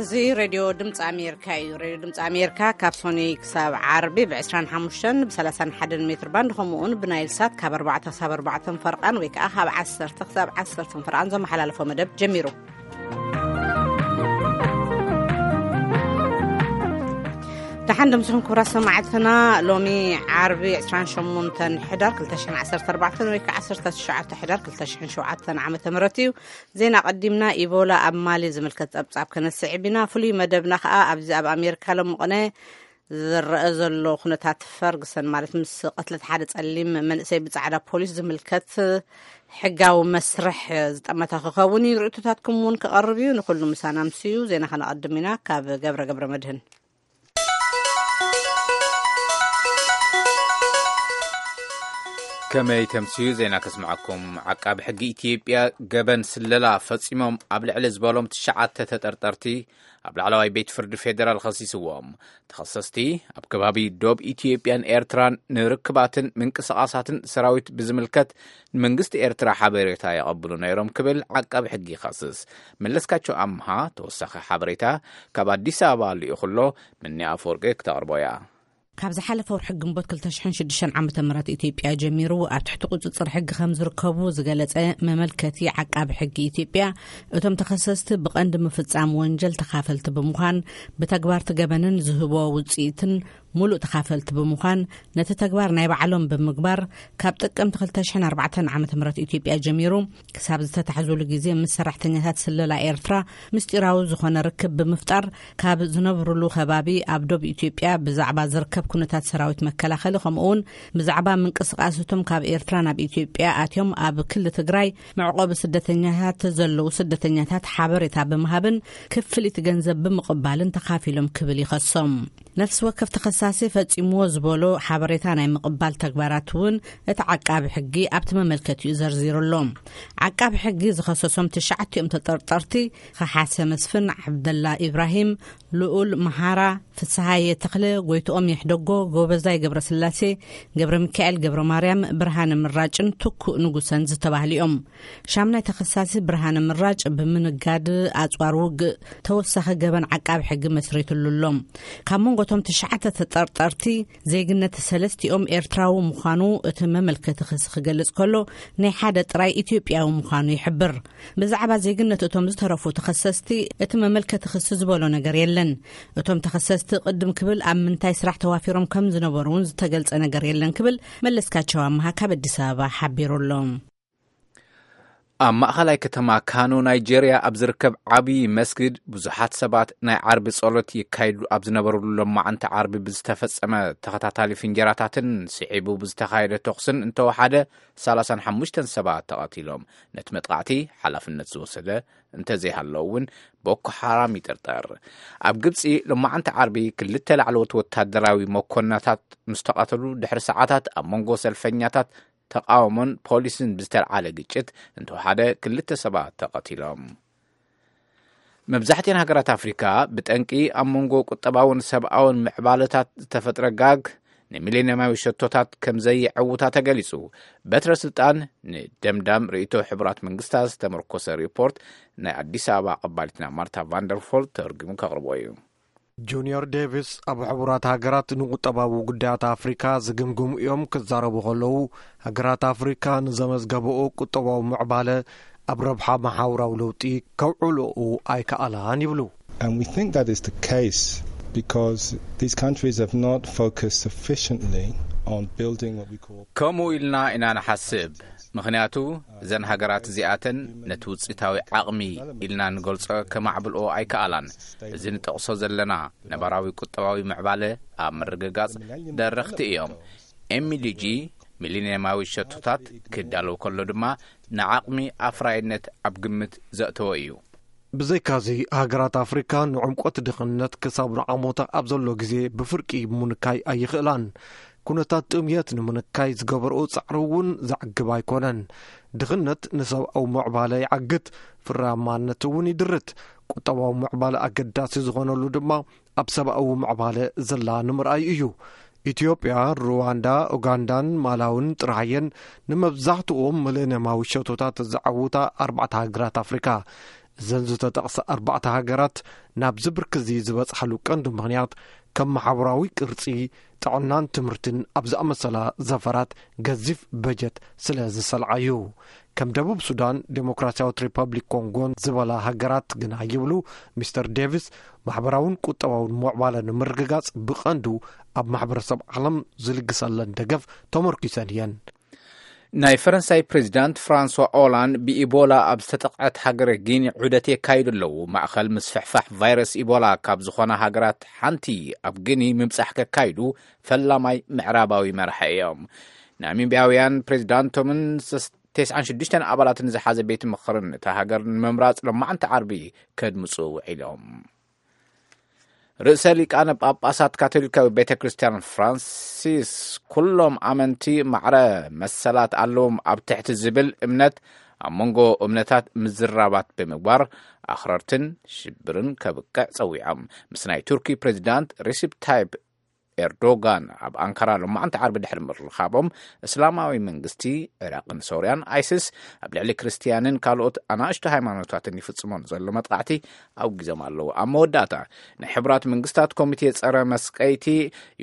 እዚ ሬድዮ ድምፂ ኣሜሪካ እዩ። ሬድዮ ድምፂ ኣሜሪካ ካብ ሶኒ ክሳብ ዓርቢ ብ25ን ብ31 ሜትር ባንድ፣ ከምኡውን ብናይል ሳት ካብ ኣርባዕተ ክሳብ ኣርባዕተ ፈርቓን ወይ ከዓ ካብ ዓሰርተ ክሳብ ዓሰርተ ፈርቓን ዘመሓላለፎ መደብ ጀሚሩ። ደሓን ደምስኹም ክቡራት ሰማዕትና። ሎሚ ዓርቢ ዕስራን ሸሞንተን ሕዳር ክልተ ሽሕን ዓሰርተ ኣርባዕተን ወይ ከዓ ዓሰርተ ትሽዓተ ሕዳር ክልተ ሽሕን ሸውዓተን ዓመተ ምህረት እዩ። ዜና ቀዲምና ኢቦላ ኣብ ማሊ ዝምልከት ጸብጻብ ከነስዕብ ኢና። ፍሉይ መደብና ከኣ ኣብዚ ኣብ ኣሜሪካ ሎሚ ቅነ ዝረአ ዘሎ ኩነታት ፈርግሰን፣ ማለት ምስ ቅትለት ሓደ ጸሊም መንእሰይ ብጻዕዳ ፖሊስ ዝምልከት ሕጋዊ መስርሕ ዝጠመተ ክኸውን እዩ። ርእይቶታትኩም እውን ክቐርብ እዩ። ንኹሉ ምሳና ምስዩ ዜና ከነቐድም ኢና። ካብ ገብረ ገብረ መድህን። ከመይ ተምስዩ ዜና ከስምዓኩም። ዓቃቢ ሕጊ ኢትዮጵያ ገበን ስለላ ፈጺሞም ኣብ ልዕሊ ዝበሎም ትሽዓተ ተጠርጠርቲ ኣብ ላዕለዋይ ቤት ፍርዲ ፌደራል ኸሲስዎም። ተኸሰስቲ ኣብ ከባቢ ዶብ ኢትዮጵያን ኤርትራን ንርክባትን ምንቅስቓሳትን ሰራዊት ብዝምልከት ንመንግስቲ ኤርትራ ሓበሬታ የቐብሉ ነይሮም ክብል ዓቃቢ ሕጊ ይኸስስ። መለስካቸው ኣምሃ ተወሳኺ ሓበሬታ ካብ ኣዲስ ኣበባ ልኢኹሎ፣ ምኒ ኣፈወርቂ ክተቕርቦ እያ። ካብ ዝሓለፈ ወርሒ ግንቦት ክልተ ሽሕን ሽዱሽተን ዓመተ ምህረት ኢትዮጵያ ጀሚሩ ኣብ ትሕቲ ቁጽጽር ሕጊ ከም ዝርከቡ ዝገለጸ መመልከቲ ዓቃቢ ሕጊ ኢትዮጵያ፣ እቶም ተኸሰስቲ ብቐንዲ ምፍጻም ወንጀል ተኻፈልቲ ብምዃን፣ ብተግባርቲ ገበንን ዝህቦ ውጽኢትን ሙሉእ ተኻፈልቲ ብምዃን፣ ነቲ ተግባር ናይ ባዕሎም ብምግባር፣ ካብ ጥቅምቲ ክልተ ሽሕን ኣርባዕተን ዓመተ ምህረት ኢትዮጵያ ጀሚሩ ክሳብ ዝተታሕዙሉ ግዜ ምስ ሰራሕተኛታት ስለላ ኤርትራ ምስጢራዊ ዝኾነ ርክብ ብምፍጣር፣ ካብ ዝነብሩሉ ከባቢ ኣብ ዶብ ኢትዮጵያ ብዛዕባ ዝርከብ ኩነታት ሰራዊት መከላኸሊ፣ ከምኡውን ብዛዕባ ምንቅስቃስቶም ካብ ኤርትራ ናብ ኢትዮጵያ ኣትዮም ኣብ ክሊ ትግራይ መዕቆቢ ስደተኛታት ዘለዉ ስደተኛታት ሓበሬታ ብምሃብን ክፍሊት ገንዘብ ብምቕባልን ተኻፊሎም ክብል ይኸሶም። ነፍሲ ወከፍ ተኸሳሲ ፈጺምዎ ዝበሎ ሓበሬታ ናይ ምቕባል ተግባራት እውን እቲ ዓቃቢ ሕጊ ኣብቲ መመልከቲኡ ዘርዚሩ ኣሎ። ዓቃቢ ሕጊ ዝኸሰሶም ትሽዓቲኦም ተጠርጠርቲ፣ ከሓሰ መስፍን፣ ዓብደላ ኢብራሂም፣ ልኡል መሃራ፣ ፍስሃየ ተኽለ፣ ጎይትኦም የሕደጎ፣ ጎበዛይ ገብረስላሴ፣ ገብረ ሚካኤል ገብረ ማርያም፣ ብርሃነ ምራጭን ትኩእ ንጉሰን ዝተባህሉ እዮም። ሻምናይ ተኸሳሲ ብርሃነ ምራጭ ብምንጋድ ኣጽዋር ውግእ ተወሳኺ ገበን ዓቃቢ ሕጊ መስሪትሉ ኣሎ። ካብ መንጎ እቶም ትሽዓተ ተጠርጠርቲ ዜግነት ሰለስቲኦም ኤርትራዊ ምዃኑ እቲ መመልከቲ ክሲ ክገልጽ ከሎ፣ ናይ ሓደ ጥራይ ኢትዮጵያዊ ምዃኑ ይሕብር። ብዛዕባ ዜግነት እቶም ዝተረፉ ተኸሰስቲ እቲ መመልከቲ ክሲ ዝበሎ ነገር የለን። እቶም ተኸሰስቲ ቅድም ክብል ኣብ ምንታይ ስራሕ ተዋፊሮም ከም ዝነበሩ እውን ዝተገልጸ ነገር የለን ክብል መለስካቸው ኣምሃ ካብ ኣዲስ ኣበባ ሓቢሩ ኣሎ። ኣብ ማእኸላይ ከተማ ካኖ ናይጄርያ ኣብ ዝርከብ ዓብዪ መስጊድ ብዙሓት ሰባት ናይ ዓርቢ ጸሎት ይካይዱ ኣብ ዝነበሩሉ ሎማዓንቲ ዓርቢ ብዝተፈጸመ ተኸታታሊ ፍንጀራታትን ስዒቡ ብዝተኻየደ ተኹስን እንተወሓደ ሰላሳን ሓሙሽተን ሰባት ተቐቲሎም። ነቲ መጥቃዕቲ ሓላፍነት ዝወሰደ እንተዘይሃለዉ እውን ቦኮ ሓራም ይጥርጠር። ኣብ ግብጺ ሎማዓንቲ ዓርቢ ክልተ ላዕለዎት ወታደራዊ መኮንናታት ምስ ተቐተሉ ድሕሪ ሰዓታት ኣብ መንጎ ሰልፈኛታት ተቃውሞን ፖሊስን ብዝተልዓለ ግጭት እንተወሓደ ክልተ ሰባት ተቐቲሎም። መብዛሕትኤን ሃገራት ኣፍሪካ ብጠንቂ ኣብ መንጎ ቁጠባውን ሰብኣውን ምዕባለታት ዝተፈጥረ ጋግ ንሚሌንየማዊ ሸቶታት ከም ዘየዕውታ ተገሊጹ። በትረ ስልጣን ንደምዳም ርእይቶ ሕቡራት መንግስታት ዝተመርኮሰ ሪፖርት ናይ ኣዲስ ኣበባ ኣቐባሊትና ማርታ ቫንደርፎል ተርጉሙ ከቕርቦ እዩ። ጁኒዮር ዴቪስ ኣብ ሕቡራት ሃገራት ንቁጠባዊ ጉዳያት ኣፍሪካ ዝግምግሙ እዮም ክዛረቡ ከለዉ፣ ሃገራት ኣፍሪካ ንዘመዝገበኦ ቁጠባዊ ምዕባለ ኣብ ረብሓ መሓውራዊ ለውጢ ከውዕልኡ ኣይከኣላን ይብሉ። And we think that is the case because these countries have not focused sufficiently on building what we call ከምኡ ኢልና ኢና ንሓስብ። ምኽንያቱ እዘን ሃገራት እዚኣተን ነቲ ውፅኢታዊ ዓቕሚ ኢልና ንገልጾ ከማዕብልኦ ኣይከኣላን። እዚ ንጠቕሶ ዘለና ነባራዊ ቁጠባዊ ምዕባለ ኣብ ምርግጋጽ ደረኽቲ እዮም። ኤምዲጂ ሚሊኒየማዊ ሸቶታት ክዳለው ከሎ ድማ ንዓቕሚ ኣፍራይነት ኣብ ግምት ዘእተወ እዩ። ብዘይካዚ፣ ሃገራት ኣፍሪካ ንዕምቆት ድኽነት ክሳብ ንዓሞታ ኣብ ዘሎ ግዜ ብፍርቂ ምንካይ ኣይኽእላን። ኩነታት ጥምየት ንምንካይ ዝገበርኦ ጻዕሪ እውን ዘዕግብ ኣይኮነን። ድኽነት ንሰብኣዊ ምዕባለ ይዓግት፣ ፍራማነት እውን ይድርት። ቁጠባዊ ምዕባለ ኣገዳሲ ዝኾነሉ ድማ ኣብ ሰብኣዊ ምዕባለ ዘላ ንምርኣይ እዩ። ኢትዮጵያ፣ ሩዋንዳ፣ ኡጋንዳን ማላውን ጥራሕየን ንመብዛሕትኦም ሚሌንየማዊ ሸቶታት ዘዓውታ ኣርባዕተ ሃገራት ኣፍሪካ። እዘን ዝተጠቕሰ ኣርባዕተ ሃገራት ናብዚ ብርኪ እዚ ዝበጽሓሉ ቀንዲ ምኽንያት፣ ከም ማሕበራዊ ቅርጺ፣ ጥዕናን ትምህርትን ኣብ ዝኣመሰላ ዘፈራት ገዚፍ በጀት ስለ ዝሰልዓ እዩ። ከም ደቡብ ሱዳን፣ ዴሞክራሲያዊት ሪፐብሊክ ኮንጎን ዝበላ ሃገራት ግና ይብሉ ሚስተር ዴቪስ፣ ማሕበራውን ቁጠባውን ምዕባለ ንምርግጋጽ ብቐንዱ ኣብ ማሕበረሰብ ዓለም ዝልግሰለን ደገፍ ተመርኪሰን እየን። ናይ ፈረንሳይ ፕሬዚዳንት ፍራንሷ ኦላንድ ብኢቦላ ኣብ ዝተጠቕዐት ሃገረ ጊኒ ዑደት የካይዱ ኣለዉ። ማእኸል ምስፍሕፋሕ ቫይረስ ኢቦላ ካብ ዝኾና ሃገራት ሓንቲ ኣብ ጊኒ ምብጻሕ ከካይዱ ፈላማይ ምዕራባዊ መራሒ እዮም። ናሚቢያውያን ፕሬዚዳንቶምን ተስዓን ሽዱሽተን ኣባላትን ዝሓዘ ቤት ምኽርን እታ ሃገር ንምምራጽ ሎማዓንቲ ዓርቢ ከድምጹ ውዒሎም። ርእሰ ሊቃነ ጳጳሳት ካቶሊካዊ ቤተ ክርስቲያን ፍራንሲስ፣ ኩሎም ኣመንቲ ማዕረ መሰላት ኣለዎም ኣብ ትሕቲ ዝብል እምነት፣ ኣብ መንጎ እምነታት ምዝራባት ብምግባር ኣኽረርትን ሽብርን ከብቅዕ ጸዊዖም። ምስ ናይ ቱርኪ ፕሬዚዳንት ሪሲፕ ታይፕ ኤርዶጋን ኣብ ኣንካራ ሎማዓንቲ ዓርቢ ድሕሪ ምርኻቦም፣ እስላማዊ መንግስቲ ዒራቕን ሶርያን፣ ኣይስስ፣ ኣብ ልዕሊ ክርስትያንን ካልኦት ኣናእሽቱ ሃይማኖታትን ይፍጽሞ ንዘሎ መጥቃዕቲ ኣውጊዞም ኣለዉ። ኣብ መወዳእታ፣ ናይ ሕቡራት መንግስታት ኮሚቴ ጸረ መስቀይቲ፣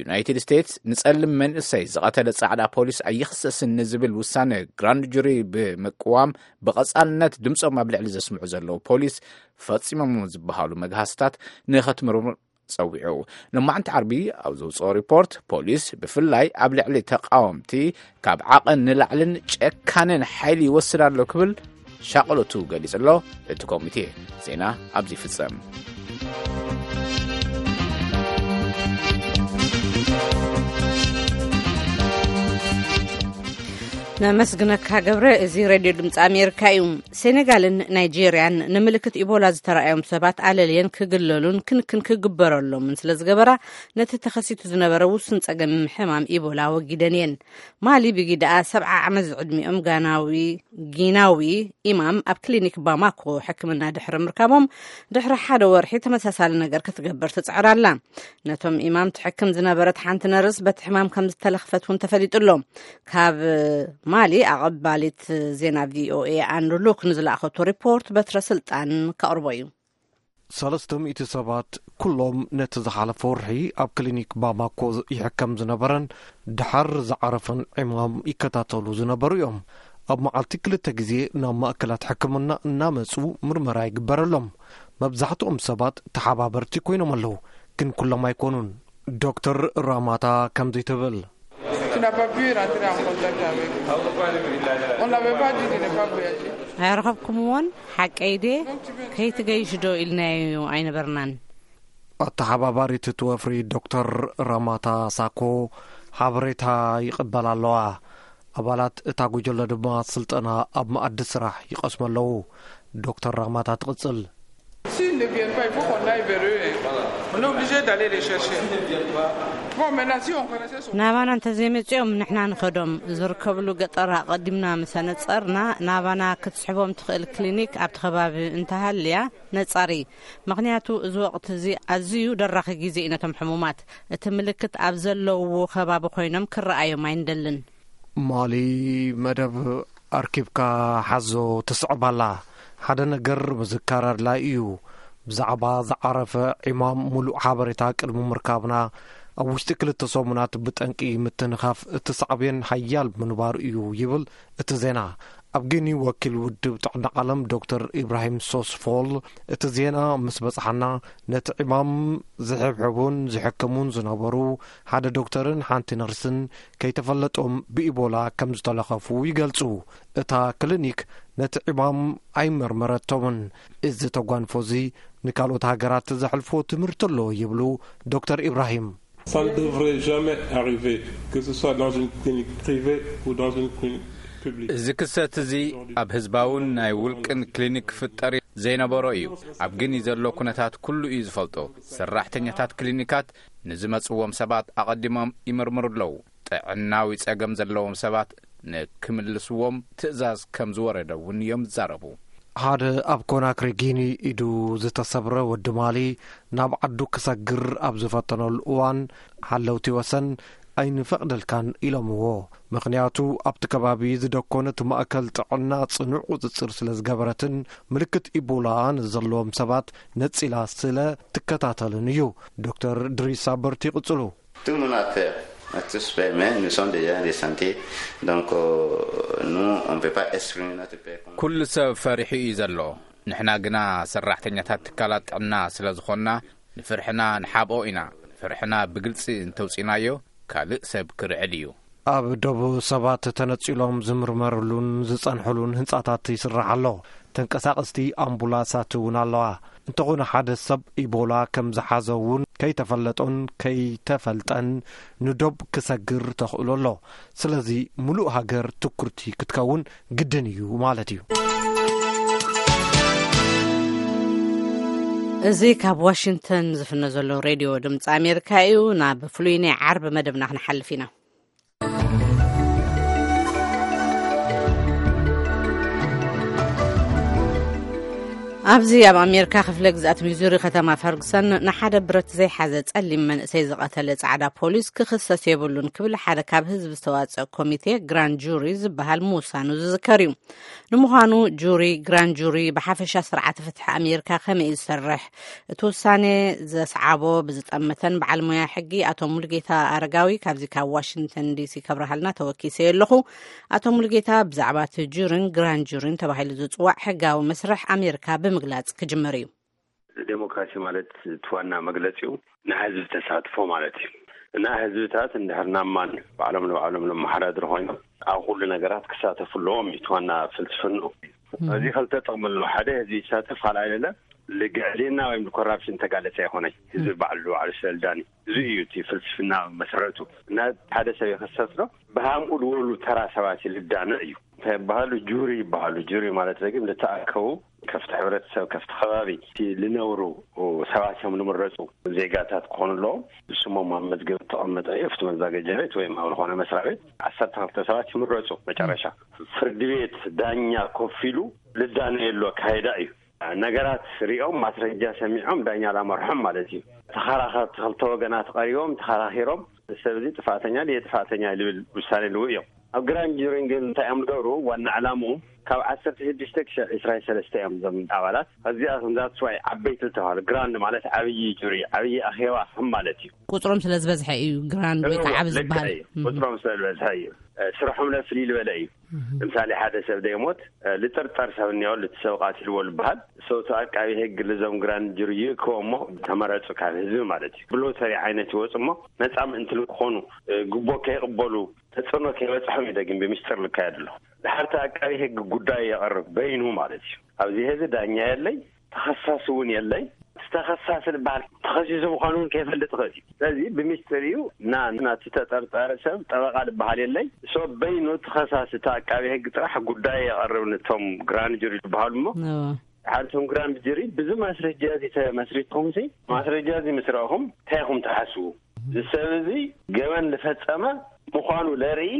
ዩናይትድ ስቴትስ ንጸሊም መንእሰይ ዝቐተለ ጻዕዳ ፖሊስ ኣይኽሰስን ንዝብል ውሳነ ግራንድ ጁሪ ብምቅዋም፣ ብቐጻልነት ድምጾም ኣብ ልዕሊ ዘስምዑ ዘለዉ ፖሊስ ፈጺሞም ዝበሃሉ መግሃስታት ንኸትምርምር ጸዊዑ። ሎማዕንቲ ዓርቢ ኣብ ዘውጽኦ ሪፖርት፣ ፖሊስ ብፍላይ ኣብ ልዕሊ ተቃወምቲ ካብ ዓቐን ንላዕልን ጨካንን ሓይሊ ይወስድ ኣሎ ክብል ሻቕሎቱ ገሊጹ ኣሎ። እቲ ኮሚቴ ዜና ኣብዚ ይፍጸም። ነመስግነካ ገብረ። እዚ ሬድዮ ድምፂ ኣሜሪካ እዩ። ሴኔጋልን ናይጄርያን ንምልክት ኢቦላ ዝተረኣዮም ሰባት ኣለልየን ክግለሉን ክንክን ክግበረሎምን ስለ ዝገበራ፣ ነቲ ተኸሲቱ ዝነበረ ውሱን ጸገም ሕማም ኢቦላ ወጊደን እየን። ማሊ ብጊዳኣ ሰብዓ ዓመት ዝዕድሚኦም ጋናዊ ጊናዊ ኢማም ኣብ ክሊኒክ ባማኮ ሕክምና ድሕሪ ምርካቦም፣ ድሕሪ ሓደ ወርሒ ተመሳሳሊ ነገር ክትገብር ትጽዕር ኣላ። ነቶም ኢማም ትሕክም ዝነበረት ሓንቲ ነርስ በቲ ሕማም ከም ዝተለኽፈት እውን ተፈሊጡ ኣሎ። ካብ ማሊ ኣቐባሊት ዜና ቪኦኤ ኣን ሉክ ንዝለኣኸቶ ሪፖርት በትረ ስልጣን ከቕርቦ እዩ። ሰለስተ ሚእቲ ሰባት ኩሎም ነቲ ዝሓለፈ ወርሒ ኣብ ክሊኒክ ባማኮ ይሕከም ዝነበረን ድሓር ዝዓረፈን ዕማም ይከታተሉ ዝነበሩ እዮም። ኣብ መዓልቲ ክልተ ግዜ ናብ ማእከላት ሕክምና እናመጹ ምርመራ ይግበረሎም። መብዛሕትኦም ሰባት ተሓባበርቲ ኮይኖም ኣለዉ፣ ግን ኩሎም ኣይኮኑን። ዶክተር ራማታ ከምዚ ትብል። Tu n'as pas pu rentrer en contact avec eux. On n'avait pas dit de ne pas voyager. ኣይረኸብኩምዎን? ሓቀይ ድየ? ከይትገይሽ ዶ ኢልናዮ ኣይነበርናን? ኣተሓባባሪት እቲ ወፍሪ ዶክተር ራማታ ሳኮ ሓበሬታ ይቕበላ ኣለዋ። ኣባላት እታ ጉጅለ ድማ ስልጠና ኣብ መኣዲ ስራሕ ይቐስሙ ኣለዉ። ዶክተር ራማታ ትቕጽል። S'ils ne viennent pas, il faut qu'on aille vers eux, hein. On est obligé d'aller les chercher. Bon, maintenant, si on connaissait son ናባና እንተዘይመጺኦም ንሕና ንኸዶም። ዝርከብሉ ገጠር ኣቐዲምና ምስ ኣነጸርና፣ ናባና ክትስሕቦም ትኽእል ክሊኒክ ኣብቲ ከባቢ እንተሃልያ ነጻሪ። ምኽንያቱ እዚ ወቕቲ እዚ ኣዝዩ ደራኺ ግዜ እዩ ነቶም ሕሙማት። እቲ ምልክት ኣብ ዘለውዎ ከባቢ ኮይኖም ክረኣዮም ኣይንደልን። ማሊ መደብ ኣርኪብካ ሓዞ ትስዕብ ኣላ። ሓደ ነገር ምዝካር ኣድላይ እዩ። ብዛዕባ ዝዓረፈ ዒማም ሙሉእ ሓበሬታ ቅድሚ ምርካብና፣ ኣብ ውሽጢ ክልተ ሰሙናት ብጠንቂ ምትንኻፍ እቲ ሳዕቤን ሓያል ምንባሩ እዩ ይብል እቲ ዜና። ኣብ ጊኒ ወኪል ውድብ ጥዕና ዓለም ዶክተር ኢብራሂም ሶስፎል፣ እቲ ዜና ምስ በጽሓና፣ ነቲ ዕማም ዝሕብሕቡን ዝሕክሙን ዝነበሩ ሓደ ዶክተርን ሓንቲ ነርስን ከይተፈለጦም ብኢቦላ ከም ዝተለኸፉ ይገልጹ። እታ ክሊኒክ ነቲ ዕማም ኣይመርመረቶምን። እዚ ተጓንፎ እዚ ንካልኦት ሃገራት ዘሕልፎ ትምህርቲ ኣሎ ይብሉ ዶክተር ኢብራሂም። Ça ne devrait jamais arriver, que ce soit dans une clinique privée ou dans une clinique publique. እዚ ክስተት እዚ ኣብ ህዝባውን ናይ ውልቅን ክሊኒክ ክፍጠር ዘይነበሮ እዩ። ኣብ ጊኒ ዘሎ ኩነታት ኩሉ እዩ ዝፈልጦ። ሰራሕተኛታት ክሊኒካት ንዝመጽዎም ሰባት ኣቐዲሞም ይምርምሩ ኣለዉ። ጥዕናዊ ጸገም ዘለዎም ሰባት ንክምልስዎም ትእዛዝ ከም ዝወረደ እውን እዮም ዝዛረቡ። ሓደ ኣብ ኮናክሪ ጊኒ ኢዱ ዝተሰብረ ወዲ ማሊ ናብ ዓዱ ክሰግር ኣብ ዝፈተነሉ እዋን፣ ሓለውቲ ወሰን ኣይንፈቕደልካን ኢሎምዎ። ምኽንያቱ ኣብቲ ከባቢ ዝደኮነት ማእከል ጥዕና ጽኑዕ ቁጽጽር ስለ ዝገበረትን ምልክት ኢቦላ ንዘለዎም ሰባት ነጺላ ስለ ትከታተልን እዩ። ዶክተር ድሪስ ኣበርት ይቕጽሉ። Tout le monde a peur. Tous peur, mais nous sommes déjà en santé. Donc, euh, nous, on ne peut pas exprimer notre peur. Comme ኩሉ ሰብ ፈሪሑ እዩ ዘሎ። ንሕና ግና ሰራሕተኛታት ትካላት ጥዕና ስለ ዝኾንና፣ ንፍርሕና ንሓብኦ ኢና። ፍርሕና ብግልጺ እንተውጺናዮ፣ ካልእ ሰብ ክርዕድ እዩ። ኣብ ዶብ ሰባት ተነጺሎም ዝምርመርሉን ዝጸንሕሉን ህንጻታት ይስራሕ ኣሎ። ተንቀሳቐስቲ ኣምቡላሳት እውን ኣለዋ። እንተኾነ ሓደ ሰብ ኢቦላ ከም ዝሓዘ እውን ከይተፈለጦን ከይተፈልጠን ንዶብ ክሰግር ተኽእሎ ኣሎ። ስለዚ ምሉእ ሃገር ትኩርቲ ክትከውን ግድን እዩ ማለት እዩ። እዚ ካብ ዋሽንግተን ዝፍነ ዘሎ ሬድዮ ድምፂ ኣሜሪካ እዩ። ናብ ፍሉይ ናይ ዓርቢ መደብና ክንሓልፍ ኢና። ኣብዚ ኣብ ኣሜሪካ ክፍለ ግዝኣት ሚዙሪ ከተማ ፈርግሰን ንሓደ ብረት ዘይሓዘ ጸሊም መንእሰይ ዝቐተለ ጻዕዳ ፖሊስ ክኽሰስ የብሉን ክብል ሓደ ካብ ህዝቢ ዝተዋጸአ ኮሚቴ ግራንድ ጁሪ ዝበሃል ምውሳኑ ዝዝከር እዩ። ንምዃኑ ጁሪ፣ ግራንድ ጁሪ ብሓፈሻ ስርዓተ ፍትሒ ኣሜሪካ ከመይ እዩ ዝሰርሕ? እቲ ውሳኔ ዘስዓቦ ብዝጠመተን በዓል ሞያ ሕጊ ኣቶ ሙሉጌታ ኣረጋዊ ካብዚ ካብ ዋሽንግተን ዲሲ ከብርሃልና ተወኪሰ ኣለኹ። ኣቶ ሙሉጌታ ብዛዕባ እቲ ጁሪን ግራንድ ጁሪን ተባሂሉ ዝጽዋዕ ሕጋዊ መስርሕ ኣሜሪካ ብምግላጽ ክጅምር እዩ። ዴሞክራሲ ማለት እቲ ዋና መግለጺኡ ናይ ህዝቢ ተሳትፎ ማለት እዩ። እና ህዝብታት እንድሕር ናማን ባዕሎም ንባዕሎም ለመሓዳድሩ ኮይኖም ኣብ ኩሉ ነገራት ክሳተፉ ኣለዎም እዩ እቲ ዋና ፍልስፍንኡ። እዚ ክልተ ጥቕሚ ኣለዎ። ሓደ ህዝቢ ይሳተፍ፣ ካልኣይ ለለ ልግዕልና ወይም ኮራፕሽን ተጋለጸ ኣይኮነይ። ህዝቢ ባዕሉ ባዕሉ ስለልዳኒ። እዚ እዩ እቲ ፍልስፍና መሰረቱ። እና ሓደ ሰብ ይኽሰስ ዶ ብሃምኡ ዝበሉ ተራ ሰባት ልዳነ እዩ። እንታይ ይበሃሉ? ጁሪ ይበሃሉ። ጁሪ ማለት ግን ልተኣከቡ ከፍቲ ሕብረተሰብ፣ ከፍቲ ከባቢ፣ እቲ ልነብሩ ሰባት እዮም ልምረጹ። ዜጋታት ክኾኑ ኣለዎም። ስሞም ኣብ መዝገብ ተቐመጠ እዩ። ኣብቲ መዛገጃ ቤት ወይም ኣብ ዝኾነ መስሪያ ቤት ዓሰርተ ክልተ ሰባት ይምረጹ። መጨረሻ ፍርዲ ቤት ዳኛ ኮፍ ኢሉ ልዳነ የሉ ኣካይዳ እዩ። ነገራት ሪኦም ማስረጃ ሰሚዖም ዳኛ ላመርሖም ማለት እዩ። ተኸራኸርቲ ክልተ ወገናት ቀሪቦም ተኸራኺሮም፣ ሰብ እዚ ጥፋተኛ ድየ ጥፋተኛ ልብል ውሳኔ ልው እዮም። ኣብ ግራንድ ጁሪን ግን እንታይ እዮም ዝገብሩ? ዋና ዕላምኡ ካብ ዓሰርተ ሽዱሽተ ክሳብ ዕስራ ሰለስተ እዮም እዞም ኣባላት። እዚኣ ክንዛት ስዋይ ዓበይቲ ዝተባሃሉ፣ ግራንድ ማለት ዓብዪ ጁሪ፣ ዓብዪ ኣኼባ ከም ማለት እዩ። ቁፅሮም ስለ ዝበዝሐ እዩ ግራንድ ወይ እዎ፣ ከዓ ዓቢ ልክዕ ዝበሃል። እዩ። እም። ቁፅሮም ስለ ዝበዝሐ እዩ። እ፣ ስርሖም ለፍልይ ዝበለ እዩ። እም። ለምሳሌ ሓደ ሰብ ደይሞት፣ እ፣ ልጥርጠር ሰብ እኒኦ፣ ልቲ ሰብ ቃትልዎ ልበሃል። ሰውቱ ኣቃቢ ህግ ልዞም ግራንድ ጁሪ ይእክቦ እሞ ተመረፁ ካብ ህዝቢ ማለት እዩ። ብሎተሪ ዓይነት ይወፁ እሞ ነፃ ምእንቲ ልክኾኑ፣ እ፣ ግቦ ከይቕበሉ ተጽዕኖ ከይበጽሖም እዩ ደግም ብምስጢር ልካየድ ኣሎ። ድሓርቲ ኣቃቢ ህግ ጉዳይ የቐርብ በይኑ ማለት እዩ። ኣብዚ ህዚ ዳኛ የለይ፣ ተኸሳሲ እውን የለይ። እቲ ተኸሳሲ ዝበሃል ተኸሲሱ ምዃኑ እውን ከይፈልጥ ይኽእል እዩ። ስለዚ ብምስጢር እዩ። ና-፣ ናቲ ተጠርጠረ ሰብ ጠበቓ ዝበሃል የለይ። ሰብ በይኑ ተኸሳሲ እቲ ኣቃቢ ህግ ጥራሕ ጉዳይ የቐርብ ነቶም ግራንድ ጁሪ ዝበሃሉ እሞ እዎ። ሓንቶም ግራንድ ጁሪ ብዚ ማስረጃ እዚ ተመስሪትኩም ሲ ማስረጃ እዚ ምስ ረእኹም እንታይ ኢኹም ትሓስቡ? እዚ ሰብ እዚ ገበን ዝፈጸመ ምዃኑ ለርኢ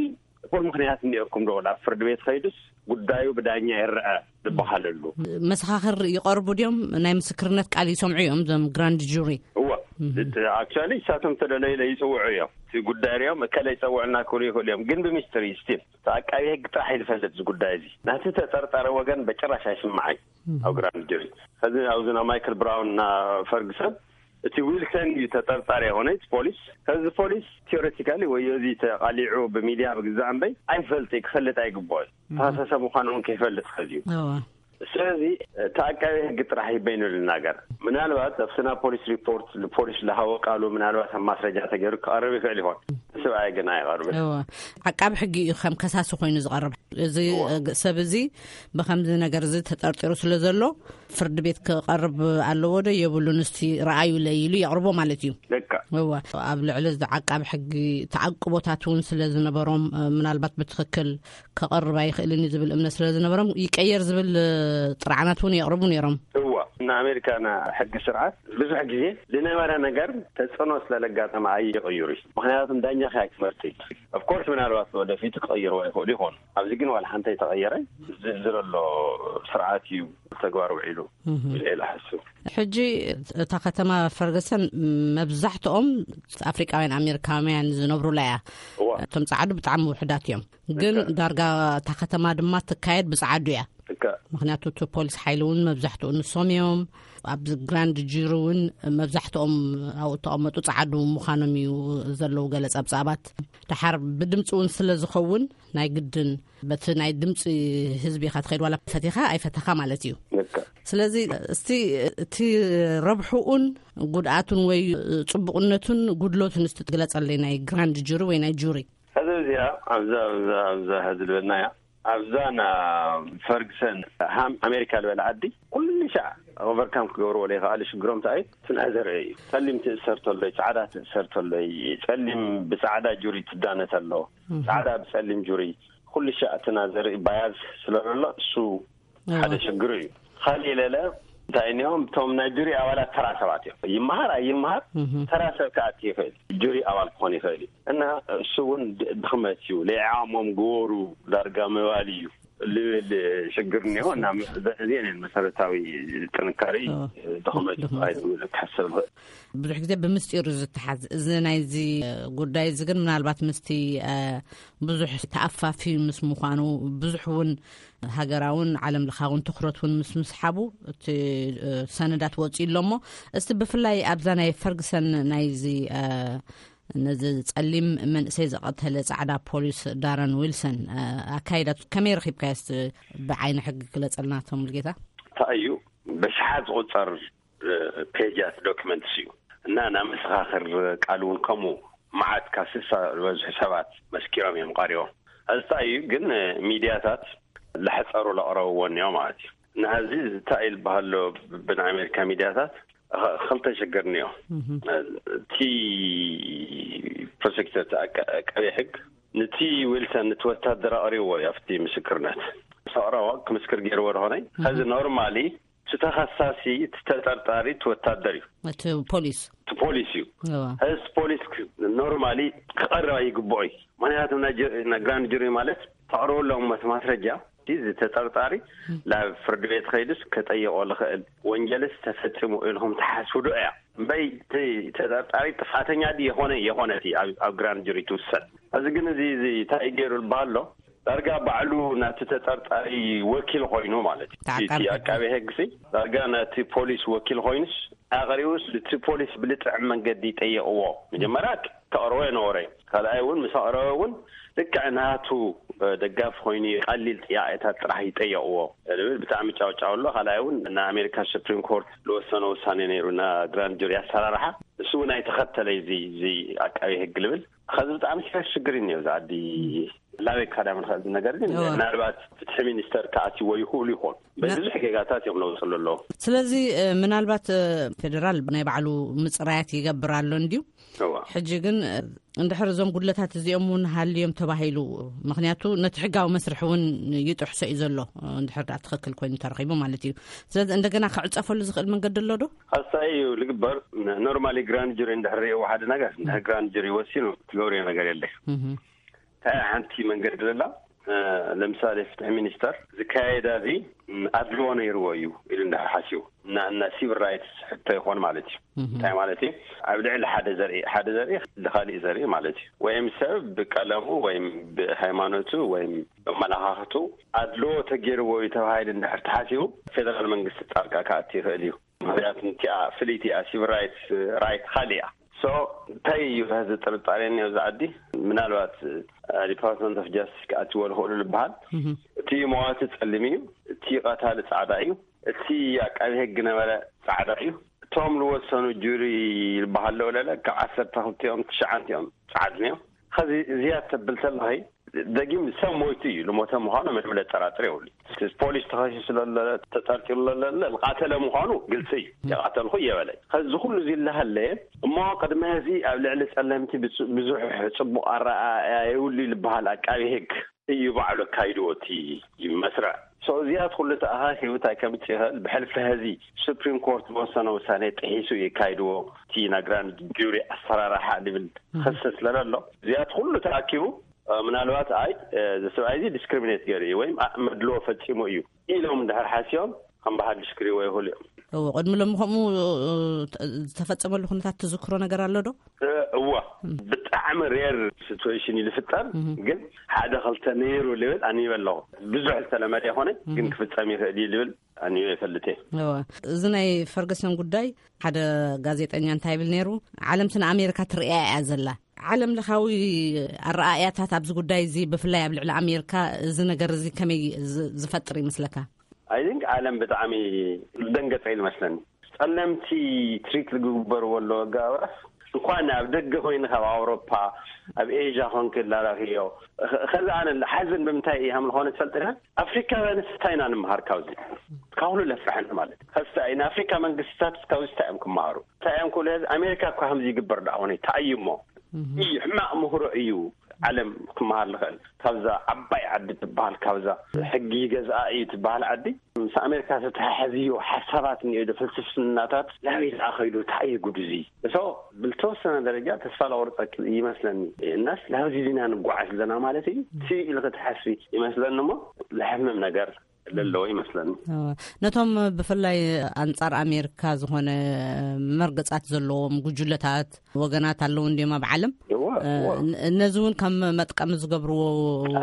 እኹል ምኽንያት እኒኦኩም ዶ? ናብ ፍርዲ ቤት ኸይዱስ ጉዳዩ ብዳኛ ይረአ ዝበሃለሉ። መሰኻኽር ይቐርቡ ድዮም? ናይ ምስክርነት ቃል ይሰምዑ እዮም እዞም ግራንድ ጁሪ? እወ። እም። እቲ ኣክቹዋሊ እሳቶም ተደለዩ ለይጽውዑ እዮም። እቲ ጉዳይ ሪኦም እከለ ይጸውዕና ክብሉ ይኽእሉ እዮም። ግን ብምስጢር እዩ ስቲል። እቲ ኣቃቢ ህግ ጥራሕ እዩ ዝፈልጥ እዚ ጉዳይ እዚ። ናቲ ተጠርጣሪ ወገን በጭራሽ ኣይስምዓይ እም። ኣብ ግራንድ ጁሪ። ከዚ ኣብዚ ና ማይክል ብራውን ና ፈርግሰን እቲ ዊልሰን እዩ ተጠርጣሪ የኾነ እቲ ፖሊስ። ከዚ ፖሊስ ቲዮሬቲካሊ ወይ እዚ ተቓሊዑ ብሚድያ ብግዛእ እምበይ ኣይፈልጥ እዩ፣ ክፈልጥ ኣይግብኦ እዩ። እም። ተኸሰሰ ምዃኑ እውን ከይፈልጥ ከዚ እዩ። እዋ። ስለዚ እቲ ኣቃቢ ህግ ጥራሕ እዩ በይኑ ልናገር። ምናልባት ኣብቲ ናብ ፖሊስ ሪፖርት ፖሊስ ዝሃቦ ቃሉ ምናልባት ኣብ ማስረጃ ተገይሩ ክቐርብ ይኽእል ይኾን። ሰብኣይ ግን ኣይቐርብን። እዋ። ዓቃቢ ሕጊ እዩ ከም ከሳሲ ኮይኑ ዝቐርብ። እዚ እዋ። ሰብ እዚ ብኸምዚ ነገር እዚ ተጠርጢሩ ስለ ዘሎ ፍርዲ ቤት ክቐርብ ኣለዎ ዶ የብሉን? እስቲ ረኣዩለይ ኢሉ የቕርቦ ማለት እዩ። ልክዕ። እዋ። ኣብ ልዕሊ እዚ ዓቃቢ ሕጊ ተዓቅቦታት እውን ስለ ዝነበሮም፣ እ፣ ምናልባት ብትኽክል ከቐርብ ኣይኽእልን እዩ ዝብል እምነት ስለ ዝነበሮም ይቀየር ዝብል፣ እ፣ ጥርዓናት እውን የቕርቡ ነይሮም። እዋ። ንኣሜሪካ ሕጊ ስርዓት ብዙሕ ግዜ ዝነበረ ነገር ተጽዕኖ ስለለጋጠመ ኣይቕይሩ እዩ። ምክንያቱም ዳኛ ከያ ክመርጥ እዩ። ኦፍኮርስ ምናልባት ወደፊት ክቕይርዎ ይኽእሉ ይኾኑ። ኣብዚ ግን ዋላ ሓንቲ ተቐየረ። ዝለሎ ስርዓት እዩ ተግባር ውዒሉ ኢለ ሓስብ። ሕጂ እታ ከተማ ፈርገሰን መብዛሕትኦም ኣፍሪቃውያን ኣሜሪካውያን ዝነብሩላ እያ። እቶም ጸዓዱ ብጣዕሚ ውሕዳት እዮም። ግን ዳርጋ እታ ከተማ ድማ ትካየድ ብጸዓዱ እያ። ምክንያቱ እቲ ፖሊስ ሓይሊ እውን መብዛሕትኡ ንሶም እዮም። ኣብ ግራንድ ጁሪ እውን መብዛሕትኦም ኣብኡ ተቐመጡ ጸዓዱ ምዃኖም እዩ ዘለዉ ገለ ጸብጻባት። ደሓር ብድምፂ እውን ስለ ዝኸውን ናይ ግድን በቲ ናይ ድምፂ ህዝቢ ኢኻ ትኸይድ፣ ዋላ ፈቲኻ ኣይፈተኻ ማለት እዩ። ስለዚ እስቲ እቲ ረብሕኡን ጉድኣቱን ወይ ፅቡቕነቱን ጉድለቱን እስቲ ትግለፀለይ፣ ናይ ግራንድ ጁሪ ወይ ናይ ጁሪ። ሕዚ እዚኣ ኣብዛ ኣብዛ ኣብዛ ሕዚ ዝበልናያ ኣብዛ ና ፈርግሰን ሃም ኣሜሪካ ዝበለ ዓዲ ኩሉ ሻዕ ኦቨርካም ክገብርዎ ዘይከኣሉ ሽግሮም እንታይ እዩ? ትንኣ ዘርኢ እዩ። ጸሊም ትእሰር ተሎይ፣ ጻዕዳ ትእሰር ተሎይ፣ ጸሊም ብጻዕዳ ጁሪ ትዳነ ተሎ፣ ጻዕዳ ብጸሊም ጁሪ፣ ኩሉ ሻዕ ትንኣ ዘርኢ ባያዝ ስለ ዘሎ እሱ ሓደ ሽግሩ እዩ። ካልእ ለለ እንታይ እኒኦም እቶም ናይ ጁሪ ኣባላት ተራ ሰባት እዮም። ይመሃር ኣይመሃር ተራ ሰብ ክኣቲ ይኽእል። ጁሪ ኣባል ክኾን ይኽእል እዩ። እና እሱ እውን ድኽመት እዩ። ለይዓሞም ግበሩ ዳርጋ ምባል እዩ ልብል ሽግር እኒኦ። እና እዚአን መሰረታዊ ጥንካሬ ድኽመት እዩ ክሓሰብ ይኽእል። ብዙሕ ግዜ ብምስጢሩ ዝተሓዝ እዚ ናይዚ ጉዳይ እዚ ግን ምናልባት ምስቲ ብዙሕ ተኣፋፊ ምስ ምዃኑ ብዙሕ እውን ሃገራውን ዓለም ለኻውን ትኩረት እውን ምስ ምስሓቡ እቲ ሰነዳት ወፂኡ ኣሎ። እሞ እስቲ ብፍላይ ኣብዛ ናይ ፈርግሰን ናይዚ ነዚ ጸሊም መንእሰይ ዝቐተለ ጻዕዳ ፖሊስ ዳረን ዊልሰን ኣካይዳት ከመይ ረኺብካዮ? እስቲ ብዓይኒ ሕጊ ግለጸልና። ቶም ልጌታ እንታይ እዩ በሽሓት ዝቑጸር ፔጃት ዶክመንትስ እዩ እና ናብ መሰኻኽር ቃል እውን ከምኡ መዓት ካብ ስሳ ዝበዝሑ ሰባት መስኪሮም እዮም ቀሪቦም። እዚ እንታይ እዩ ግን ሚድያታት ለሕፀሩ ለቕረብዎ እኒኦ ማለት እዩ። እና እዚ እንታይ ዝበሃሎ ብናይ ኣሜሪካ ሚድያታት ክልተ ሽግር እኒኦ። እቲ ፕሮሴክተር ቀቢ ሕግ ንቲ ዊልሰን ንቲ ወታደር ኣቕሪብዎ እዩ ኣብቲ ምስክርነት ሰቕረቦ ክምስክር ገይርዎ ዝኾነ ከዚ ኖርማሊ እቲ ተኸሳሲ እቲ ተጠርጣሪ እቲ ወታደር እዩ። እቲ ፖሊስ እቲ ፖሊስ እዩ። እዚ ፖሊስ ኖርማሊ ክቐርብ ኣይግብኦ እዩ። ምክንያቱ ናይ ግራንድ ጁሪ ማለት ተቕርበሎም መስ ማስረጃ እቲ ተጠርጣሪ ናብ ፍርዲ ቤት ከይዱስ ከጠይቆ ዝኽእል ወንጀልስ ተፈፂሙ ኢልኩም ትሓስቡ ዶ እያ? እምበይ እቲ ተጠርጣሪ ጥፋተኛ ድዩ የኾነ የኾነት እዩ ኣብ ግራንድ ጁሪ ትውሰን። እዚ ግን እዚ እዚ እንታይ ገይሩ ዝበሃሎ ዳርጋ ባዕሉ ናቲ ተጠርጣሪ ወኪል ኮይኑ ማለት እዩ። እቲ ኣቃቢ ሕግሲ ዳርጋ ናቲ ፖሊስ ወኪል ኮይኑስ ኣቕሪቡስ እቲ ፖሊስ ብልጥዕም መንገዲ ይጠየቕዎ። መጀመርያ ተቕርቦ የነበረ። ካልኣይ እውን ምስ ኣቕረበ እውን ልክዕ ናቱ ደጋፊ ኮይኑ ቀሊል ጥያቄታት ጥራሕ ይጠየቕዎ ልብል ብጣዕሚ ጫውጫው ኣሎ። ካልኣይ እውን ንኣሜሪካ ሱፕሪም ኮርት ዝወሰነ ውሳኔ ነይሩ ና ግራንድ ጁሪ ኣሰራርሓ እሱ እውን ኣይተኸተለ እዚ እዚ ኣቃቢ ሕግ ልብል ከዚ ብጣዕሚ ሽግር እዩ ዝዓዲ ላበይ ካዳ ምንኸእል ነገር ግን ምናልባት ፍትሒ ሚኒስተር ክኣትዎ ይኽእሉ ይኾን በዚ ብዙሕ ጌጋታት እዮም ለውፅሉ ኣለዉ። ስለዚ ምናልባት ፌደራል ናይ ባዕሉ ምፅራያት ይገብር ኣሎ እንድዩ። ሕጂ ግን እንድሕር እዞም ጉድለታት እዚኦም እውን ሃልዮም ተባሂሉ ምክንያቱ ነቲ ሕጋዊ መስርሕ እውን ይጥሕሶ እዩ ዘሎ። እንድሕር ዳ ትኽክል ኮይኑ ተረኺቡ ማለት እዩ። ስለዚ እንደገና ክዕፀፈሉ ዝኽእል መንገዲ ኣሎ ዶ? ኣስታይ እዩ ዝግበር። ኖርማሊ ግራንድ ጁሪ እንድሕር ሪእዎ ሓደ ነገር እንድሕር ግራንድ ጁሪ ወሲኑ ትገብርዮ ነገር የለ። እንታይ ሓንቲ መንገዲ ዘላ ለምሳሌ ፍትሒ ሚኒስተር ዝካየዳ እዚ ኣድልዎ ነይርዎ እዩ ኢሉ እንድሕር ሓሲቡ እና እና ሲቪል ራይትስ ሕቶ ይኾን ማለት እዩ። እንታይ ማለት እዩ? ኣብ ልዕሊ ሓደ ዘርኢ ሓደ ዘርኢ ልካሊእ ዘርኢ ማለት እዩ። ወይም ሰብ ብቀለሙ ወይም ብሃይማኖቱ ወይም ብመላኻኽቱ ኣድልዎ ተገይርዎ እዩ ተባሂሉ እንድሕር ተሓሲቡ ፌደራል መንግስቲ ጣልቃ ክኣቲ ይኽእል እዩ። ምክንያቱ እቲኣ ፍልይቲ እያ። ሲቪል ራይትስ ራይት ካሊእ እያ። ሶ እንታይ እዩ ሕዚ ጥርጣሬ እኒኦ እዚ ዓዲ ምናልባት ዲፓርትመንት ኦፍ ጃስቲስ ክኣትዎ ዝኽእሉ ዝበሃል እቲ መዋቲ ጸሊም እዩ፣ እቲ ቀታሊ ጻዕዳ እዩ፣ እቲ ኣቃቢ ሕጊ ነበረ ጻዕዳ እዩ። እቶም ዝወሰኑ ጁሪ ዝበሃለው ለለ ካብ ዓሰርተ ክልቲኦም ትሽዓንቲኦም ጻዕድን እዮም። ኸዚ ዝያድ ተብል ተለኸይ ደጊም ሰብ ሞይቱ እዩ ልሞተ ምዃኑ ምንም ለጠራጥር የብሉ። ፖሊስ ተኸሲሱ ለለ ተጠርጢሩ ለለ ዝቃተለ ምዃኑ ግልፂ እዩ። የቃተልኩ እየበለ ኸዚ ኩሉ እዚ ለሃለየ እሞ ቅድሚ እዚ ኣብ ልዕሊ ጸለምቲ ብዙሕ ጽቡቕ ኣረኣያ የብሉ ልበሃል ኣቃቢ ህግ እዩ ባዕሉ ኣካይድዎ እቲ መስርዕ። እዚኣት ኩሉ ተኣኻኺቡ እንታይ ከምፅእ ይኽእል? ብሕልፊ ሕዚ ሱፕሪም ኮርት ዝወሰነ ውሳኔ ጥሒሱ እዩ የካይድዎ፣ እቲ ናይ ግራንድ ጁሪ ኣሰራርሓ ዝብል ክሲ ስለዘሎ፣ እዚኣት ኩሉ ተኣኪቡ፣ እ፣ ምናልባት ኣይ፣ እ፣ እዚ ሰብኣይ እዚ ዲስክሪሚኔት ገይሩ እዩ ወይም ኣ-፣ መድልዎ ፈፂሙ እዩ ኢሎም እንድሕር ሓሲቦም ከም በሃልሽ ክሪእዎ ይኽእሉ እዮም። እዎ፣ ቅድሚ ሎሚ ከምኡ፣ እ፣ ዝተፈጸመሉ ኩነታት ትዝክሮ ነገር ኣሎ ዶ? እ፣ እዋ፣ ብጣዕሚ ሬር ሲትዌሽን እዩ ዝፍጠር፣ ግን ሓደ ክልተ ነይሩ ልብል ኣንቢበ ኣለኹ። ብዙሕ ዝተለመደ ኣይኮነን፣ ግን ክፍጸም ይኽእል እዩ ልብል ኣንቢበ ይፈልጥ እየ። እዎ፣ እዚ ናይ ፈርገሰን ጉዳይ ሓደ ጋዜጠኛ እንታይ ይብል ነይሩ? ዓለምቲ ንኣሜሪካ ትርእያ እያ ዘላ። ዓለም ለኻዊ ኣረኣእያታት ኣብዚ ጉዳይ እዚ፣ ብፍላይ ኣብ ልዕሊ ኣሜሪካ፣ እዚ ነገር እዚ ከመይ ዝ-፣ ዝፈጥር ይመስለካ? ኣይ ቲንክ ዓለም ብጣዕሚ ዝደንገጸ እዩ ዝመስለኒ። ጸለምቲ ትሪት ዝግበርዎ ኣለዉ ኣገባብራስ፣ እንኳን ኣብ ደገ ኮይንካ ኣብ ኣውሮፓ፣ ኣብ ኤዥያ ኮንክ ላራኽዮ። ኸ-፣ ኸዚ ኣነ ሓዘን ብምንታይ እዩ ሃም ዝኾነ ትፈልጥ ዲኻ? ኣፍሪካውያንስ እንታይ ኢና ንምሃር ካብዚ? ካብ ኩሉ ለፍርሐኒ ማለት እዩ። ኸዚ እንታይ ንኣፍሪካ መንግስታት ካብዚ እንታይ እዮም ክመሃሩ? እንታይ እዮም ክብሉ? ኸዚ ኣሜሪካ እኳ ከምዚ ይግበር ደኣ ኾነ ተኣይሞ እዩ፣ ሕማቕ ምህሮ እዩ። ዓለም ክመሃር ዝኽእል ካብዛ ዓባይ ዓዲ ትበሃል፣ ካብዛ ሕጊ ገዝኣ እዩ ትበሃል ዓዲ፣ ምስ ኣሜሪካ ዝተተሓሓዝዮ ሓሳባት እኒኦ ዶ፣ ፍልስፍናታት ናበይ ደኣ ኸይዱ? እንታይ እዩ ጉድ እዚ? እሶ ብልተወሰነ ደረጃ ተስፋ ለቆርፀ ይመስለኒ። እናስ ናብዚ ዲና ንጓዓዝ ኣለና ማለት እዩ? ስእ ኢልኺ ትሓስቢ ይመስለኒ እሞ ለሕምም ነገር ለለዎ ይመስለኒ። እወ። ነቶም ብፍላይ ኣንጻር ኣሜሪካ ዝኾነ መርገጻት ዘለዎም ጉጅለታት፣ ወገናት ኣለዉ እንድዮም ኣብ ዓለም። እወ፣ እ፣ እወ። ን-፣ ነዚ እውን ከም መጥቀሚ ዝገብርዎ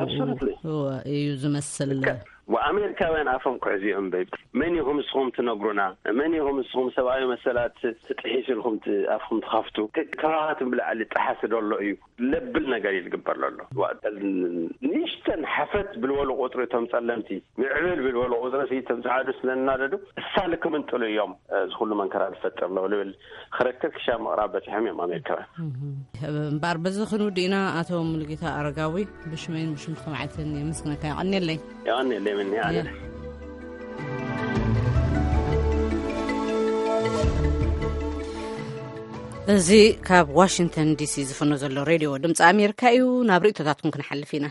Absolutely። እወ፣ እዩ ዝመስል። ልክዕ። ወኣሜሪካውያን ኣፎም ክሕዙ እዮም በይብ። መን ኢኹም ንስኹም ትነግሩና? መን ኢኹም ንስኹም ሰብኣዊ መሰላት ትጥሒሱ ኢልኩም ት-፣ ኣፍኩም ትኸፍቱ? ክ-፣ ከባኻትም ብላዕሊ ጥሓሲ ዶ ኣሎ እዩ? ለብል ነገር እዩ ዝግበር ዘሎ። ዋ-፣ ንእሽተን ሓፈት ብልበሉ ቁፅሪ እቶም ጸለምቲ፣ ምዕብል ብልበሉ ቁፅሪ፣ እቶም ጸዓዱ ስለናደዱ፣ እሳ ልክምንጥሉ እዮም፣ እዚ ኩሉ መንከራ ዝፈጥር ኣለዉ ልብል ክረክብ ክሻ ምቕራብ በጺሖም እዮም ኣሜሪካውያን። እምበር በዚ ክንውድ ኢና። ኣቶ ሙሉጌታ ኣረጋዊ፣ ብሽመይን ብሽም ተማዓትን የመስግነካ። የቐንየለይ። የቐንየለይ፣ ምኒ ኣነ። እዚ ካብ ዋሽንግተን ዲሲ ዝፍኖ ዘሎ ሬድዮ ድምፂ ኣሜሪካ እዩ። ናብ ርእይቶታትኩም ክንሓልፍ ኢና።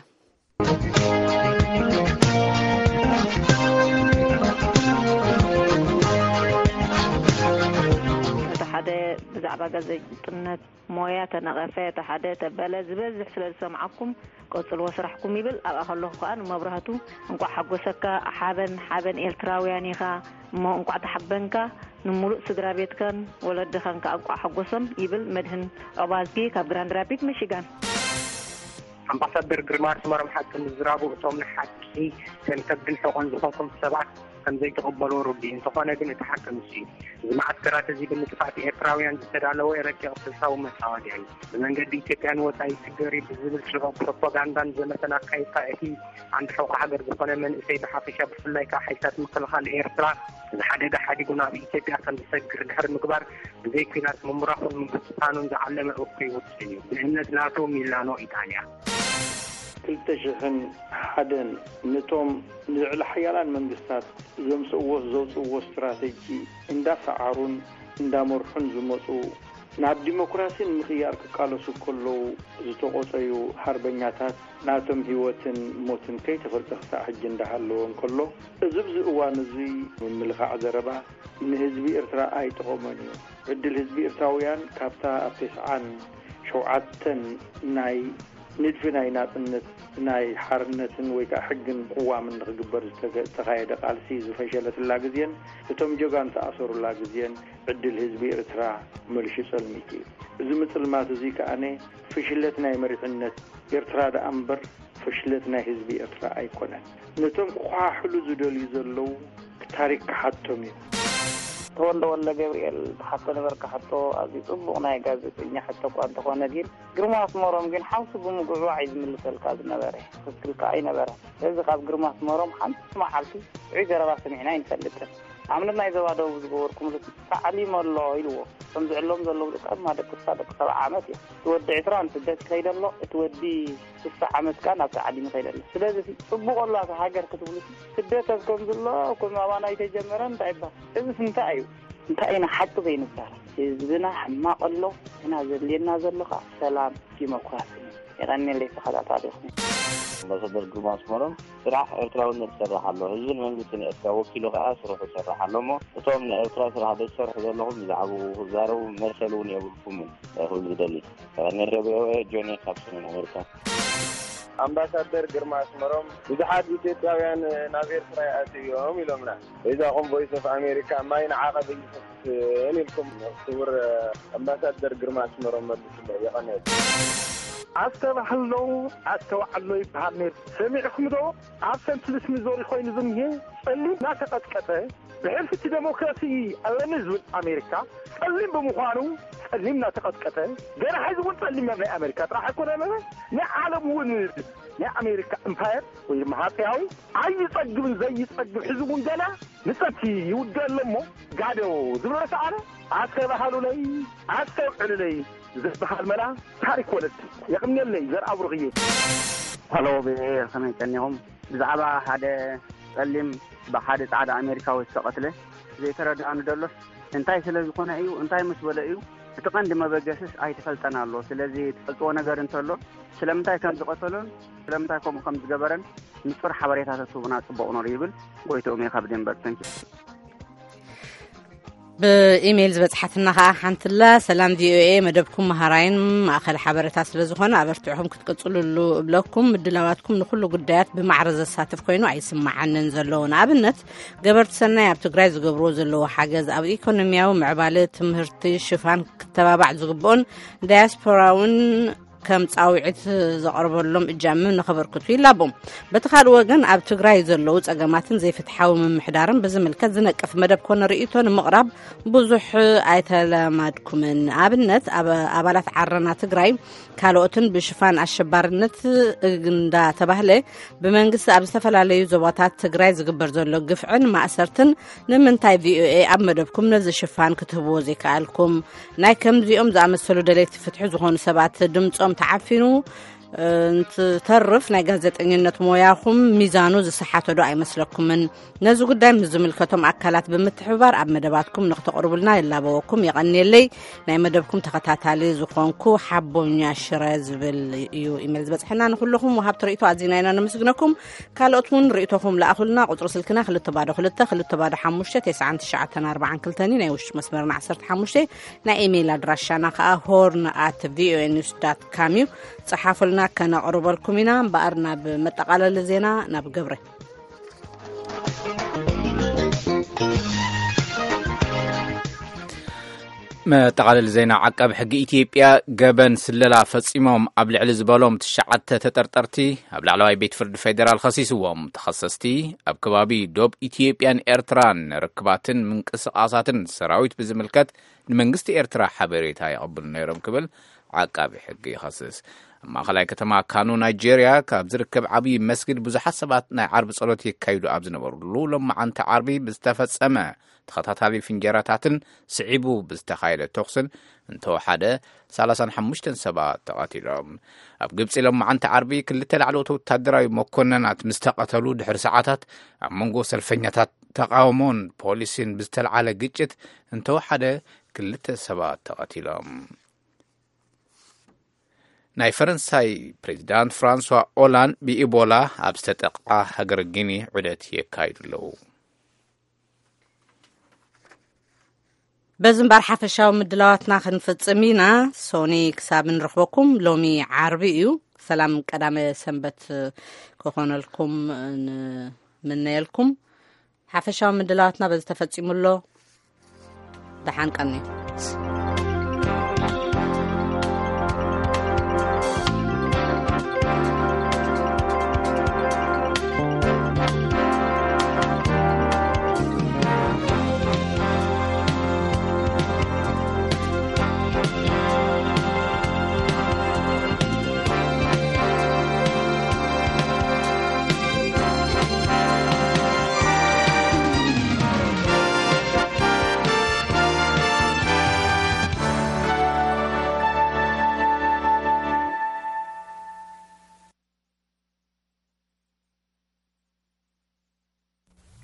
እቲ ሓደ ብዛዕባ ጋዜጠነት ሞያ ተነቐፈ፣ እቲ ሓደ ተበለ፣ ዝበዝሕ ስለ ዝሰምዓኩም ቀጽልዎ ስራሕኩም ይብል። ኣብኣ ከለኹ ከኣ ንመብራህቱ እንቋዕ ሓጎሰካ፣ ሓበን ሓበን ኤርትራውያን ኢኻ፣ እሞ እንቋዕ ተሓበንካ፣ ንምሉእ ስድራ ቤትካን ወለድኻን ከኣ እንቋዕ ሓጎሶም ይብል መድህን ዑባዝጊ ካብ ግራንድ ራፒድ ሚሺጋን። ኣምባሳደር ግርማ ኣስመሮም ሓቂ ምዝራቡ፣ እቶም ንሓቂ ከም ከብድን ሕቖን ዝኾንኩም ሰባት ከም ዘይትቕበልዎ ርዱእ እዩ። እንተኾነ ግን እቲ ሓቂ ንሱ እዩ። እዚ መዓስከራት እዚ ብምጥፋእ ኤርትራውያን ዝተዳለወ ረቂቕ ስልታዊ መጻወድያ እዩ። ብመንገዲ ኢትዮጵያ ንወጻኢ ይስገር እዩ ብዝብል ሽሮ ፕሮፓጋንዳን ዘመተን ኣካይድካ፣ እቲ ዓንዲ ሕቖ ሃገር ዝኾነ መንእሰይ ብሓፈሻ፣ ብፍላይ ከኣ ሓይልታት ምክልኻል ኤርትራ እዚ ሓደጋ ሓዲጉ ናብ ኢትዮጵያ ከም ዝሰግር ድሕሪ ምግባር፣ ብዘይ ኲናት ምምራኹን ምብትታኑን ዝዓለመ እኩይ ውጥን እዩ። ብእምነት ናቶ ሚላኖ ኢጣልያ። ክልተ ሽሕን ሓደን ነቶም ንልዕሊ ሓያላን መንግስታት ዘምጽእዎ ዘውጽእዎ ስትራተጂ እንዳሰዓሩን እንዳመርሑን ዝመጹ፣ ናብ ዲሞክራሲ ንምቕያር ክቃለሱ ከለዉ ዝተቖጸዩ ሓርበኛታት ናቶም ህይወትን ሞትን ከይተፈልጠ ክሳዕ ሕጂ እንዳሃለወ እንከሎ፣ እዚ ኣብዚ እዋን እዚ ምምልኻዕ ዘረባ ንህዝቢ ኤርትራ ኣይጠቐሞን እዩ። ዕድል ህዝቢ ኤርትራውያን ካብታ ኣብ ተስዓን ሸውዓተን ናይ ንድፊ ናይ ናጽነት፣ ናይ ሓርነትን ወይ ከኣ ሕግን ቅዋምን ንኽግበር ዝተገ-፣ ዝተኻየደ ቃልሲ ዝፈሸለትላ ግዜን እቶም ጀጋኑ ተኣሰሩላ ግዜን ዕድል ህዝቢ ኤርትራ መልሹ ጸልሚቱ እዩ። እዚ ምጽልማት እዚ ከኣነ ፍሽለት ናይ መሪሕነት ኤርትራ ደኣ እምበር ፍሽለት ናይ ህዝቢ ኤርትራ ኣይኮነን። ነቶም ክኾሓሕሉ ዝደልዩ ዘለዉ ታሪክ ክሓቶም እዩ። ተወልደ ወልደ ገብርኤል ትሓቶ ነበርካ ሕቶ፣ ኣዝዩ ጽቡቕ ናይ ጋዜጠኛ ሕቶ እኳ እንተኾነ፣ ግን ግርማ ኣስመሮም ግን ሓውሲ ብምጉዕባዕ እዩ ዝምልሰልካ ዝነበረ። ትኽክል ከኣ ኣይነበረን። ስለዚ ካብ ግርማ ኣስመሮም ሓንቲ መዓልቲ ጥዑይ ዘረባ ሰሚዕና ኣይንፈልጥን። ኣብነት ናይ ዞባ ደቡብ ዝገበርኩምሉ፣ ተዓሊሙ ኣሎ ኢልዎ። እቶም ዝዕለሙ ዘለዉ ደቂ፣ ኣብ ደቂ፣ ደቂ ሰብዓ ዓመት እዮም። እቲ ወዲ ዕስራ ንስደት ይኸይድ ኣሎ፣ እቲ ወዲ ስሳ ዓመት ከኣ ናብ ተዓሊም ይኸይድ ኣሎ። ስለዚ ጽቡቕ ኣሎ ኣብታ ሃገር ክትብሉ፣ ስደት ኣብ ከም ዘሎ፣ ከም ኣባና ኣይተጀመረን እንታይ ይባል? እዚስ እንታይ እዩ? እንታይ ኢና ሓቂ ዘይንዛረብ? ህዝብና ሕማቕ ኣሎ፣ ግና ዘድልየና ዘሎ ከኣ ሰላም፣ ዲሞክራሲ። የቐንየለይ ተኸታታሊኹም። ኣምባሳደር ግርማ ኣስመሮም ስራሕ ኤርትራውነት ይሰርሕ ኣሎ። ህዝብን መንግስትን ኤርትራ ወኪሉ ከኣ ስርሑ ይሰርሕ ኣሎ እሞ፣ እቶም ንኤርትራ ስራሕ ዘይትሰርሑ ዘለኹም ብዛዕባኡ ክዛረቡ መሰል እውን የብልኩምን ክብል ዝደሊ። ቀዳማይ ቪኦኤ ጆኒ ካብ ሰሜን ኣሜሪካ። ኣምባሳደር ግርማ ኣስመሮም ብዙሓት ኢትዮጵያውያን ናብ ኤርትራ ይኣትዉ እዮም ኢሎምና። በይዛኹም ቮይስ ኦፍ ኣሜሪካ ማይ ንዓቐብ ይፈስስን ኢልኩም ክቡር ኣምባሳደር ግርማ ኣስመሮም መልስሎ። የቐንየል። ኣስተባህሎ፣ ኣስተውዓሎ ይበሃል ነይሩ። ሰሚዕኩም ዶ? ኣብ ሰንት ሉዊስ ሚዞሪ ኮይኑ ዝኒሄ ጸሊም እናተቐጥቀጠ ብሕልፊ እቲ ዴሞክራሲ ኣለኒ ዝብል ኣሜሪካ ጸሊም ብምዃኑ ጸሊም እናተቐጥቀጠ፣ ገና ሕዚ እውን ጸሊም ናይ ኣሜሪካ ጥራሕ ኣይኮነን፣ ናይ ዓለም እውን ናይ ኣሜሪካ እምፓየር ወይ ድማ ሃጸያዊ ኣይጸግብን ዘይጸግብ ሕዚ እውን ገና ንጸቲ ይውደእ ኣሎ እሞ ጋዶ ዝብሎ ሰኣነ ኣስተባህሉለይ ኣስተውዕሉለይ ዝበሃል መላ ታሪክ ወለድ። የቕንየለይ ዘርኣ ብሩኽዬ። ሃሎ ብሄር ከመይ ቀኒኹም? ብዛዕባ ሓደ ጸሊም ብሓደ ጻዕዳ ኣሜሪካዊ ዝተቐትለ ዘይተረድኣኒ ደሎስ እንታይ ስለ ዝኾነ እዩ? እንታይ ምስ በለ እዩ? እቲ ቀንዲ መበገስስ ኣይተፈልጠን ኣሎ። ስለዚ ትፈልጥዎ ነገር እንተሎ ስለምንታይ ከም ዝቐተሎን ስለምንታይ ከምኡ ከም ዝገበረን ንጹር ሓበሬታ ተትህቡና ጽቡቕ ነሩ ይብል። ጎይትኦም እየ ካብ ዴንቨር። ተንኪ። ብኢሜይል ዝበጽሓትና ኸኣ ሓንትላ፣ ሰላም ቪኦኤ፣ መደብኩም መሃራይን ማእኸል ሓበሬታ ስለ ዝኾነ ኣበርቲዕኹም ክትቅጽሉሉ እብለኩም። ምድላዋትኩም ንኹሉ ጉዳያት ብማዕረ ዘሳትፍ ኮይኑ ኣይስምዓንን ዘሎ። ንኣብነት ገበርቲ ሰናይ ኣብ ትግራይ ዝገብርዎ ዘለዉ ሓገዝ ኣብ ኢኮኖሚያዊ ምዕባለ ትምህርቲ ሽፋን ክተባባዕ ዝግብኦን ዳያስፖራውን ከም ጻውዒት ዘቕርበሎም እጃም ንኸበርክቱ ይላቦም። በቲ ካልእ ወገን ኣብ ትግራይ ዘለዉ ጸገማትን ዘይፍትሓዊ ምምሕዳርን ብዝምልከት ዝነቅፍ መደብ ኮነ ርእይቶ ንምቕራብ ብዙሕ ኣይተለማድኩምን። ኣብነት ኣብ ኣባላት ዓረና ትግራይ ካልኦትን ብሽፋን ኣሸባርነት እንዳተባህለ ብመንግስቲ ኣብ ዝተፈላለዩ ዞባታት ትግራይ ዝግበር ዘሎ ግፍዕን ማእሰርትን ንምንታይ ቪኦኤ ኣብ መደብኩም ነዚ ሽፋን ክትህብዎ ዘይከኣልኩም? ናይ ከምዚኦም ዝኣመሰሉ ደለይቲ ፍትሒ ዝኾኑ ሰባት ድምጾም ተዓፊኑ እንትተርፍ ናይ ጋዜጠኝነት ሞያኹም ሚዛኑ ዝሰሓተ ዶ ኣይመስለኩምን? ነዚ ጉዳይ ምስ ዝምልከቶም ኣካላት ብምትሕብባር ኣብ መደባትኩም ንክተቕርቡልና ይላበወኩም። የቐንየለይ። ናይ መደብኩም ተኸታታሊ ዝኾንኩ ሓቦኛ ሽረ ዝብል እዩ ኢሜል ዝበጽሐና። ንኹልኹም ወሃብቲ ርእይቶ ኣዚና ኢና ነመስግነኩም። ካልኦት እውን ርእይቶኹም ለኣኹልና። ቁጽሪ ስልክና ክልተ ባዶ ክልተ ክልተ ባዶ ሓሙሽተ ተስዓን ትሽዓተን ኣርባዓን ክልተን እዩ። ናይ ውሽጢ መስመርና ዓሰርተ ሓሙሽተ። ናይ ኢሜይል ኣድራሻና ከኣ ሆርን ኣት ቪኦኤ ኒውስ ዳት ካም እዩ። ጸሓፉልና፣ ከነቕርበልኩም ኢና። እምበኣር ናብ መጠቓለሊ ዜና ናብ ገብረ። መጠቓለሊ ዜና። ዓቃቢ ሕጊ ኢትዮጵያ ገበን ስለላ ፈጺሞም ኣብ ልዕሊ ዝበሎም ትሽዓተ ተጠርጠርቲ ኣብ ላዕለዋይ ቤት ፍርዲ ፌዴራል ኸሲስዎም። ተኸሰስቲ ኣብ ከባቢ ዶብ ኢትዮጵያን ኤርትራን ርክባትን ምንቅስቓሳትን ሰራዊት ብዝምልከት ንመንግስቲ ኤርትራ ሓበሬታ የቐብሉ ነይሮም ክብል ዓቃቢ ሕጊ ይኸስስ። ኣብ ማእኸላይ ከተማ ካኑ ናይጄርያ ካብ ዝርከብ ዓብዪ መስጊድ ብዙሓት ሰባት ናይ ዓርቢ ጸሎት የካይዱ ኣብ ዝነበሩሉ ሎማዓንቲ ዓርቢ ብዝተፈጸመ ተኸታታሊ ፍንጀራታትን ስዒቡ ብዝተኻየደ ተኹስን እንተወሓደ ሰላሳን ሓሙሽተን ሰባት ተቐቲሎም። ኣብ ግብጺ ሎማዓንቲ ዓርቢ ክልተ ላዕለዎት ወታደራዊ መኮነናት ምስ ተቐተሉ ድሕሪ ሰዓታት ኣብ መንጎ ሰልፈኛታት ተቓውሞን ፖሊስን ብዝተልዓለ ግጭት እንተወሓደ ክልተ ሰባት ተቐቲሎም። ናይ ፈረንሳይ ፕሬዚዳንት ፍራንሷ ኦላንድ ብኢቦላ ኣብ ዝተጠቕዓ ሃገር ጊኒ ዑደት የካይዱ ኣለዉ። በዚ እምበር ሓፈሻዊ ምድላዋትና ክንፍጽም ኢና። ሶኒ ክሳብ ንረኽበኩም፣ ሎሚ ዓርቢ እዩ። ሰላም ቀዳመ ሰንበት ክኾነልኩም ንምነየልኩም። ሓፈሻዊ ምድላዋትና በዚ ተፈጺሙ ኣሎ። ደሓን ቀኒ።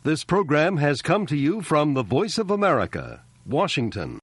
This program has come to you from the Voice of America, Washington.